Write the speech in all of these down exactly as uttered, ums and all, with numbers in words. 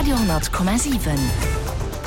Radio honnert Komma siwen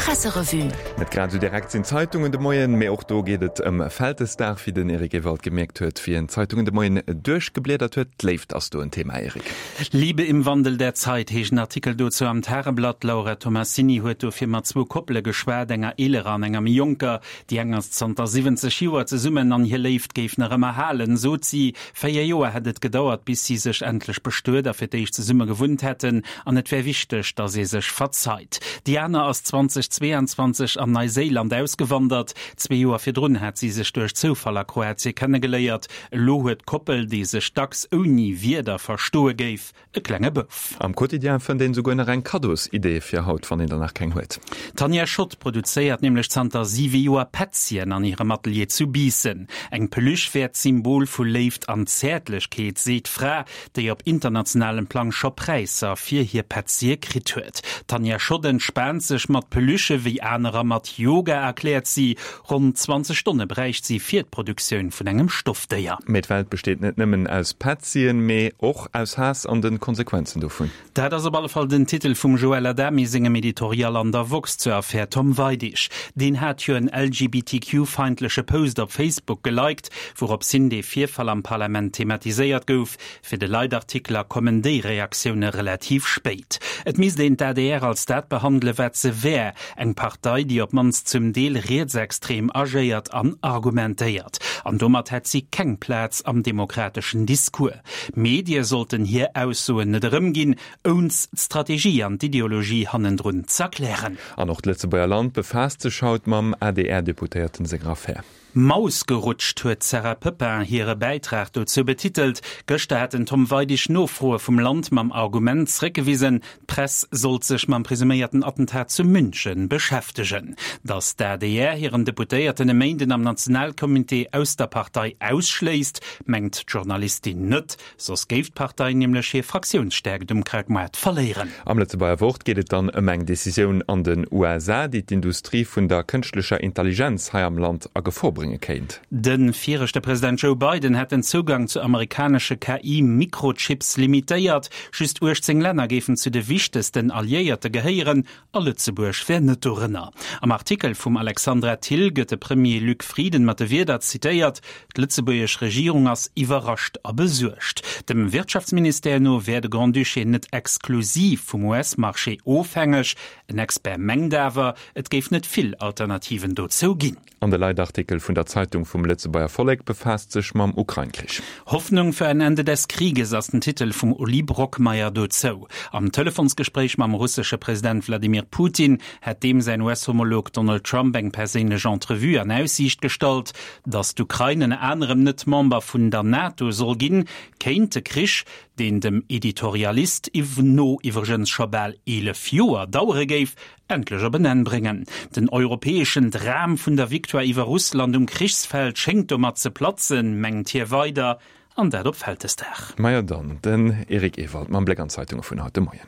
Presserevue. Net grad esou direkt sinn d'Zeitungen de Moien, mee och do geet et ëm Vältesdag, wéi den Eric Ewald gemierkt huet, wéi en d'Zeitungen de Moien duerchgebliedert huet. D'Léift ass do en Thema, Eric. Liebe im Wandel der Zeit heescht en Artikel dozou am Tageblatt. D'Laura Tomassini huet dofir mat zwou Koppele geschwat, enger eelerer an enger méi jonker. Déi eng ass zanter siwwenzeg Joer zesummen an hir Léift géif nach ëmmer halen, sot si. Véier Joer hätt et gedauert, bis si sech endlech bestuet a fir d'éischt zesumme gewunnt hätten, an et wär wichteg, datt ee sech verzeit. Déi aner ass zweitausendzweiundzwanzeg an Neiséiland ausgewandert. Zwee Joer virdrun hat si sech duerch Zoufall a Kroatie kennegeléiert. Elo huet d'Koppel, déi sech dacks ouni Wierder verstoe géif, e klenge Bouf. Am Quotidien fënnt een esouguer nach eng Kaddosidee fir haut, wann een der nach keng huet. D'Tanja Schott produzéiert nämlech zanter siwe Joer Petzien an hirem Atelier zu Biissen. Eng Peluche wär d'Symbol vu Léift an Zäertlechkeet, seet d'Fra, déi op internationalem Plang scho Präisser fir hir Petzie kritt huet. D'Tanja Schott entspaant sech mat Peluchë wéi anerer mat Yoga, erkläert si. Ronn zwanzeg Stonne bräicht si fir d'Produktioun vun engem Stoffdéier. Mee d'Welt besteet net nëmmen aus Petzien, mee och aus Haass an de Konsequenzen dovun. Dat ass op alle Fall den Titel vum Joël Adami sengem Editorial an der woxx zur Affär Tom Weidig. Deen hat jo en L G B T Q feindleche Post op Facebook geliked, wourops hin dee Virfall am Parlament thematiséiert gouf. Fir de Leitartikler kommen déi Reaktioune relativ spéit. Et misst een d'A D R als dat behandele wat se wär, eng Partei, déi op d'mannst zum Deel rietsextrem agéiert an argumentéiert. An domat hätt si keng Plaz am demokrateschen Discours. Medie sollten hir Aussoen net erëmginn, ouni d'Strategie an d'Ideologie hannendrun z'erklären. An och d'Lëtzebuerger Land befaasst sech haut mam A D R-Deputéierten senger Affär. Maus gerutscht huet d'Sarah Poepping hire Bäitrag dozou betitelt. Gëschter hat den Tom Weidig Nofroe vum Land mam Argument zréckgewisen, d'Press sollt sech mam presuméierten Attentat zu München beschäftegen. Datt d'A D R hiren Deputéierten e Méinden am Nationalcomité aus der Partei ausschléisst, mengt d'Journalistin net, soss géif d'Partei nämlech hir Fraktiounsstäerkt um Krautmaart verléieren. Am Lëtzebuerger Wort geet et dann ëm eng Decisioun an den U S A, déi d'Industrie vun der kënschtlecher Intelligenz hei am Land a Gefor brénge kéint. De viregte President Joe Biden hätt den Zougang zu amerikanesche K I-Mikrochips limitéiert. Just uechtzéng Länner géifen zu de wichtegsten Alliéierte gehéieren, a Lëtzebuerg wär net dorënner. Am Artikel vum Alexandra Thill gëtt de Premier Luc Frieden mat de Wierder zitéiert, D'lëtzebuergesch Regierung ass iwwerrascht a besuergt. Dem Wirtschaftsministère no wär de Grand-Duché net exklusiv vum U S-Marché ofhängeg. En Expert mengt awer, et géif net vill Alternativen dozou ginn. An de Leitartikel vun der Zeitung vum Lëtzebuerger Vollek befaasst sech mam Ukrain-Krich. Hoffnung für ein Ende des Krieges ass den Titel vum Uli Brockmeyer dozou. Am Telefonsgespréich mam russesche President Wladimir Putin hätt deem säin U S-Homolog Donald Trump eng perséinlech Entrevue an Aussiicht gestallt, datt d'Ukrain ënner anerem net Member vun der NATO soll ginn, kéint de Krich, deen dem Editorialist no iwwregens scho bal eelef Joer dauere géif, endlech op en Enn bréngen. Den europäeschen Dram vun der Victoire iwwer Russland um Krichsfeld schéngt domat ze platzen, mengt hie weider, an dat op Vältesdag. Majo dann, den Eric Ewald mam Bléck an d'Zeitunge vun haut de Moien.